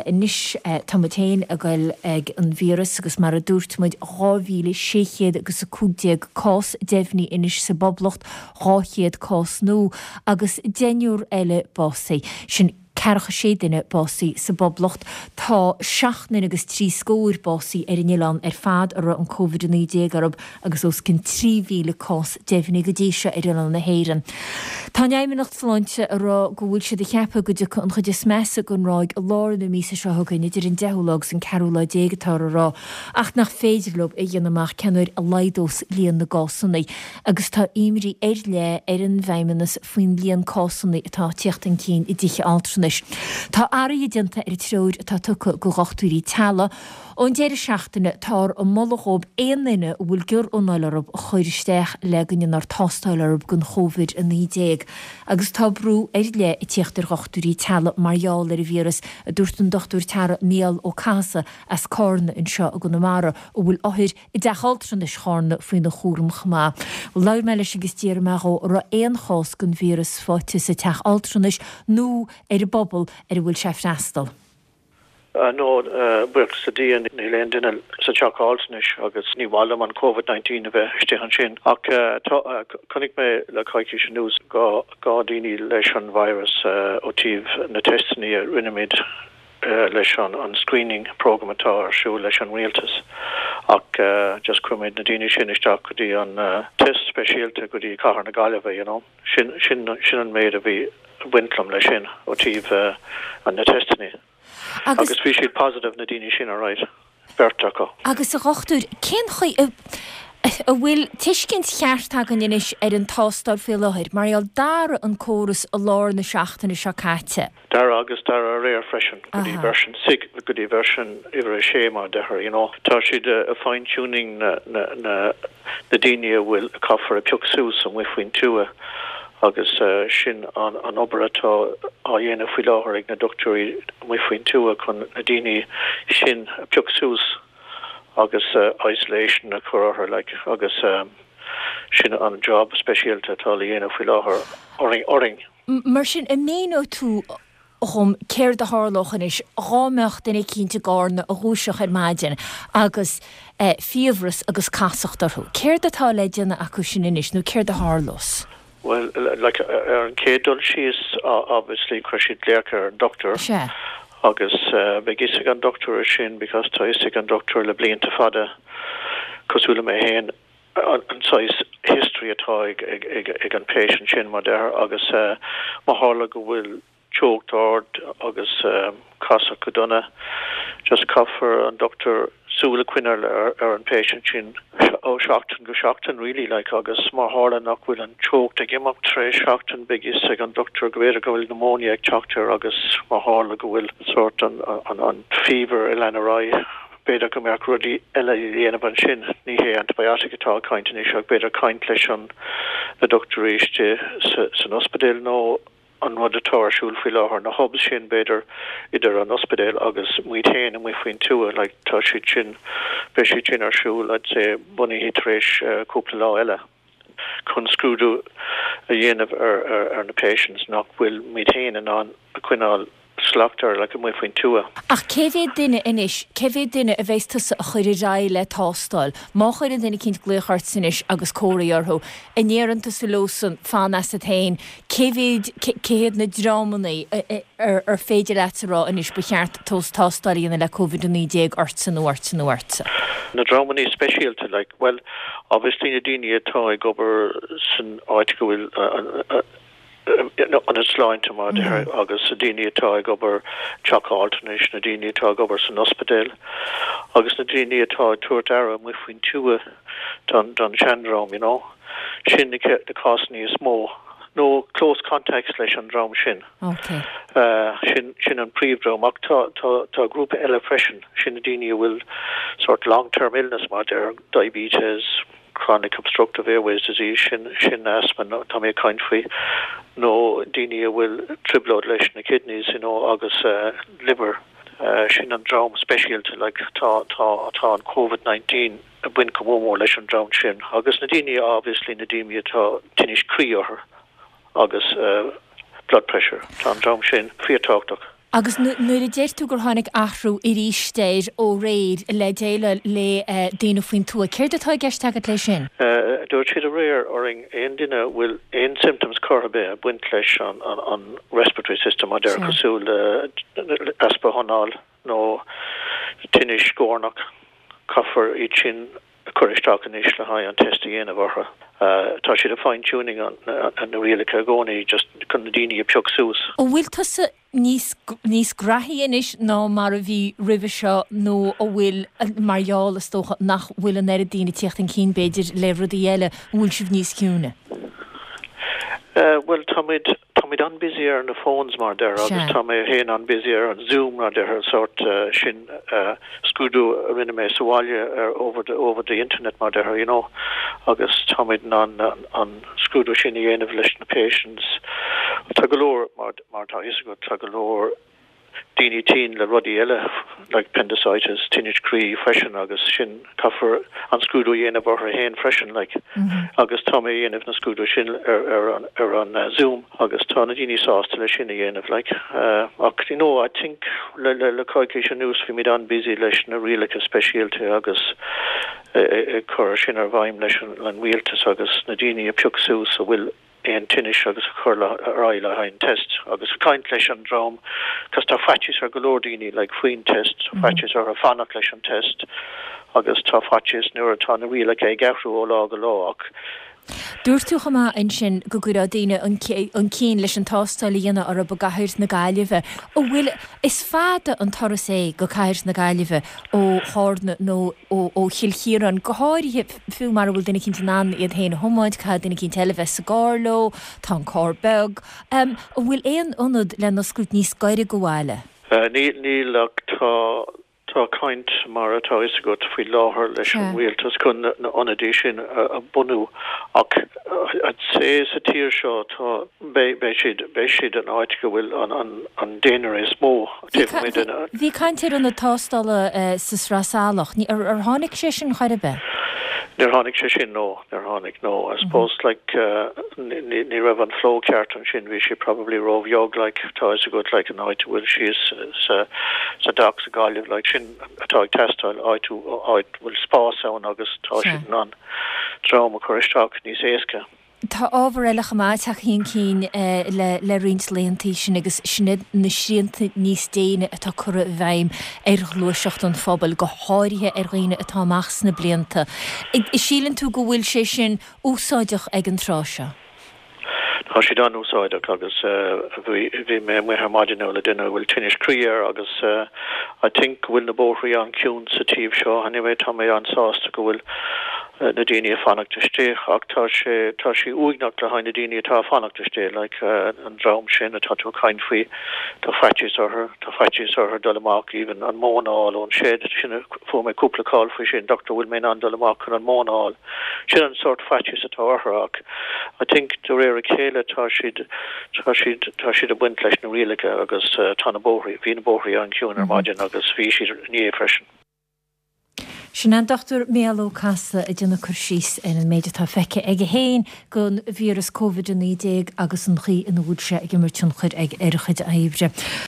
Anois tá muid féin ag goil ag an víreas agus mar a dúirt muid 2,600 agus 15 cás deimhnithe anois sa bPoblacht, 200 cás nua agus deichniúr eile básaithe. Sin ceathracha sé duine básaithe sa bPoblacht. Tá seacht nduine agus trí scór básaithe ar an oileán ar fad a raibh an Covid-19 orthu agus os cionn 3,000 cás deimhnithe go dtí seo ar oileán na hÉireann. Tá an Fheidhmeannacht Sláinte ag rá go bhfuil siad ag ceapadh go dtiocfaidh an chuid is measa den ráig i lár na míosa seo chugainn, idir an deichiú lá agus an ceathrú lá déag atáthar a rá, ach nach féidir leo a dhéanamh amach cén uair a laghdós líon na gcásanna. Agus tá imní ar leith ar an bhFeidhmeannas faoin líon cásanna atá ag tíocht chun cinn i dtithe altranais. Tá athruithe déanta ar an treoir atá tugtha go dhochtúirí teaghlaigh. Ón deireadh seachtaine táthar ag moladh dhóibh aon duine a bhfuil giorranáil orthu a chur isteach le go ndéanfar tástáil orthu don Chóvid-19 agus tá brú ar leith ag tíocht ar dhochtúirí teaghlaigh mar gheall ar an víreas, a dúirt an Dochtúir Teaghlaigh Mícheál Ó Cathasaigh as Cárna anseo i gConamara, a bhfuil othair i dteach altranais Chárna faoina chúram chomh maith. Labhair mé leis agus d'fhiafraigh mé dhó an raibh aon chás den víreas faighte sa teach altranais nó ar an bpobal ar a bhfuil sé ag freastal. No, buíochas le Dia níl aon duine sa teach altranais agus ní mhaith liom an Covid 19 a bheith istigh ansin. Ach tá, chonaic mé le coicís anuas 2 daoine leis an virus ó taobh na teisteanna a rinne muid leis an screening program atá ar siúl leis an rialtas. Ach just chuir muid na daoine sin isteach go dtí an test speisialta go dtí cathair na Gaillimhe, you know. Sin, sin, sin an méid a bhí ag baint liom leis sin ó taobh na teisteanna. Agus bhí siad positive, na daoine sin, alright, beirt acu. Agus a dhochtúir, cén chaoi a, a bhfuil tuiscint cheart againn anois ar an tástáil faoi láthair, mar gheall, d'athraigh an córas i lár na seachtaine seo caite. D'athraigh agus d'athraigh aréir freisin go dtí version six, go dtí version uimhir a sé mar a deirtear, you know. Tá siad ag fine tuning na, na, na, na daoine a bhfuil, a caithfear a phioc suas amuigh faoin tuath agus sin an, an obair atá á dhéanamh faoi láthair ag na dochtúirí amuigh faoin tuath chun na daoine sin a phioc suas agus isolation a chur orthu like agus sin an job speisialta atá le dhéanamh faoi láthair orainn, orainn. Mar sin, an míneoidh tú dhom céard a tharlódh anois dhá mbeadh duine eicínt i gCárna a dhúiseodh ar maidin agus fiabhras agus casacht orthu? Céard atá le déanamh acu sin anois nó céard a tharlós? Bhuel, like, ar an chéad dul síos, obviously, chuir siad glaoch ar an dochtúir. Sea. Agus beidh fhios ag an dochtúir sin because tá fhios ag an dochtúir le blianta fada, cosúil le mé féin, an saghas history atá ag an patient sin, mar deirtear, agus má tharla go bhfuil teocht ard agus casacht go dona, just caithfear an dochtúir súil a choinneáil ar an patient sin ó sheachtain go seachtain really like agus má tharla nach bhfuil an teocht ag imeacht tar éis seachtain beidh fhios ag an dochtúir go b'fhéidir go bhfuil pneumonia ag teacht air agus má tharla go bhfuil sort an an fever ag lean ar aghaidh B'fhéidir go mbeadh rudaí eile le déanamh ansin, ní hé antibiotic atá ag caint anois ach b'fhéidir caint leis an na dochtúirí istigh san ospidéal nó an rud atá ar siúl faoi láthair, na hubs sin b'fhéidir idir an ospidéal agus muid féin amuigh faoin tuath, like tá siad sin, beidh siad sin ar siúl I'd say bunaithe tar éis cúpla lá eile chun scrúdú a dhéanamh ar ar na patients nach bhfuil muid féin in ann a choinneáil slacht air like amuigh faoin tuath. Ach cé mhéad duine anois, cé mhéad duine a bheas tusa a chur ar aghaidh le tástáil? Má chuireann duine eicínt glaoch ortsa anois agus comharthaí orthu, an ndéarann tusa leosan fan asat féin, cé mhéad, cé hiad na dreamanna ar ar féidir leatsa a rá anois ba cheart tos tástáil a dhéanamh le Covid-19 ortsa nó ortsa nó ortsa? Na dreamanna speisialta like, bhuel, obviously na daoine atá ag obair san áit go bhfuil an, ionad sláinte mar a deirtear agus na daoine atá ag obair teach altranais, na daoine atá ag obair san ospidéal agus na daoine atá ag tabhairt aire amuigh faoin tuath don don seandream, you know. Sin na na cásanna is mó. Nó close contacts leis an dream sin. Okay. Sin sin an príomhdhream ach tá tá tá grúpa eile freisin, sin na daoine a bhfuil sort long term illness mar a deirtear, diabetes, chronic obstructive airways disease, sin, sin asthma tá mé ag caint faoi, nó daoine a bhfuil trioblóid leis na kidneys, you know, agus liver, sin an dream speisialta, like, tá, tá, tá an Covid 19 ag baint go mór mór leis an dream sin. Agus na daoine, obviously, na daoine atá tinnis croí orthu agus blood pressure, tá an dream sin fíorthábhachtach. Agus nuair a deir tú gur tháinig athrú arís air ó aréir le déileáil le daoine faoin tuath, céard atá i gceist agat leis sin? Dúirt siad aréir orainn aon duine a bhfuil aon symptoms chor ar bith ag baint leis an respiratory system, mar a déarfá cosúil le easpa anáil nó tinnis guairneach, caithfear iad sin a chur isteach anois le haghaidh an test a dhéanamh orthu. Tá siad ag fine tuning na rialacha i gcónaí just chun na daoine a phioc suas. An bhfuil tusa níos níos graithí anois ná mar a bhí roimhe seo nó an bhfuil, mar gheall is dócha nach bhfuil an oiread daoine ag tíocht chun cinn b'fhéidir le rudaí eile, an bhfuil sibh níos ciúine? Bhuel táimid Táimid an-busy ar na phones mar a déarfá agus tá mé féin an-busy ar an Zoom mar a déarfá sórt sin scrúdú a rinne mé sa bhaile ar over the over the internet mar a déarfá you know agus táimid in ann an scrúdú sin a dhéanamh leis na patients. Tá go leor mar mar atá a fhios agat tá go leor daoine tinn le rudaí eile like appendicitis, tinnis croí freisin agus sin caithfear an scrúdú a dhéanamh orthu féin freisin like agus tá mé a dhéanamh na scrúdú sin ar ar an ar an Zoom agus tá na daoine sásta leis sin a dhéanamh like ach you know I think le le le coicís anuas bhí muid an-busy leis na rialacha speisialta agus ag cur sin ar bhfeidhm leis an an rialtas agus na daoine a phioc suas a bhfuil aon tinnis agus a chur ar aghaidh le haghaidh an test agus caint leis an dream cos tá faitíos ar go leor daoine like faoin test, tá faitíos orthu fanacht leis an test agus tá faitíos nuair atá na rialacha ag athrú ó lá go lá ach Dúirt tú chomh maith ansin go gcuirfeadh daoine chun cinn leis an tástáil a dhéanamh orthu i gcathair na Gaillimhe. An bhfuil, is fada an turas é go cathair na Gaillimhe ó Chárna nó ó Chill Chiaráin, go háirithe, Fiú mara bhfuil duine eicínt in ann iad féin a thiomáint, caithfidh duine eicínt eile bheith sa gcarr leo, tá an carr beag. An bhfuil aon ionad le n-oscailt níos gaire go bhaile? Níl, níl ach tá, tá caint mar atá fhios agat faoi láthair leis an rialtas chun na n-ionadaí sin a bhunú ach I'd say sa tír seo tá, beidh, beidh siad, beidh siad an áit go bhfuil an, an, an daonra is mó. Bhí caint ar ionad tástála sa Sraith Salach. Ar tháinig sé sin chor ar bith? Níor tháinig sé sin, no. Níor tháinig, no. I suppose, like, ní raibh an flow ceart ansin, bhí sé probably róbheag, like, tá fhios agat, like, an áit a bhfuil síos sa, sa docks i Gaillimh, like, sin atá ag teastáil, áit, áit bhfuil spás ann agus tá siad in ann dream a chur isteach níos éasca. Tá ábhar eile chomh maith tagtha chun cinn le roinnt laethanta, sin agus sin iad na srianta níos déine atá curtha i bhfeidhm ar ghluaiseacht an phobail, go háirithe ar dhaoine atá amach sna blianta. Síleann tú go bhfuil sé sin úsáideach ag an tráth seo? Tá siad an-úsáideach agus bhí mé amuigh ar maidin le duine a bhfuil tinnis croí air agus I think go bhfuil na bóithrí an-chiúin sa taobh seo. Anyway, tá mé an-sásta go bhfuil na daoine ag fanacht istigh ach tá sé, tá sé uaigneach le haghaidh na daoine atá ag fanacht istigh, like an dream sin atá tú ag caint faoi, tá faitíos orthu, tá faitíos orthu dul amach even an móin a fháil ón shed, sin, fuair mé cúpla call faoi sin, doctor bhfuil mé in ann dul amach chun an móin a fháil? Sin an sórt faitíos atá orthu ach I think de réir a chéile tá siad, tá siad, tá siad ag baint leis na rialacha agus tá na bóithrí, bhí na bóithrí an-chiúin ar maidin agus bhí siad inné freisin. Sin an Dr Mícheál Ó Cathasaigh ag déanamh cur síos ar an méid atá feicthe aige féin den víreas Covid-19 agus an chaoi ina bhfuil sé ag imirt tionchair ar a chuid oibre.